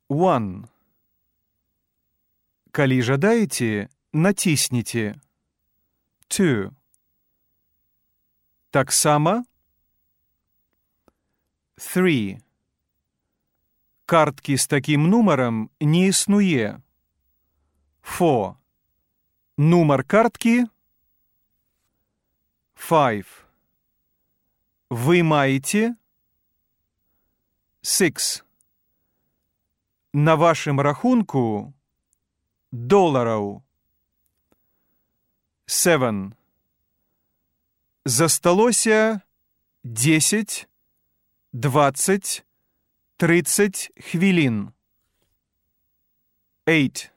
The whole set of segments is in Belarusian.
1. Калі жадаеце, націсніце. 2. Таксама. 3. Карткі з такім нумарам не існуе. 4. Нумар карткі. 5. Вы маеце. 6. На вашым рахунку долараў. 7. Засталося 10, 20, 30 хвілін. 8.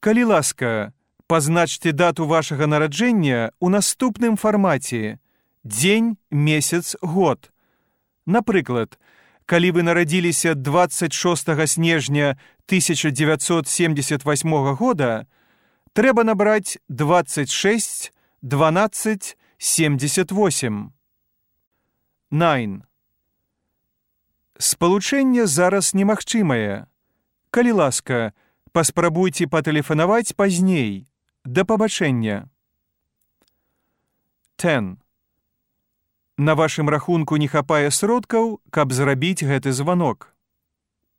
Калі ласка, пазначце дату вашага нараджэння ў наступным фармаце: дзень, месяц, год. Напрыклад, калі вы нарадзіліся 26 снежня 1978 года, трэба набраць 26 12 78. 9. Спалучэнне зараз немагчымае. Калі ласка, паспрабуйце патэлефанаваць пазней. Да пабачэння. 10. На вашым рахунку не хапае сродкаў, каб зрабіць гэты званок.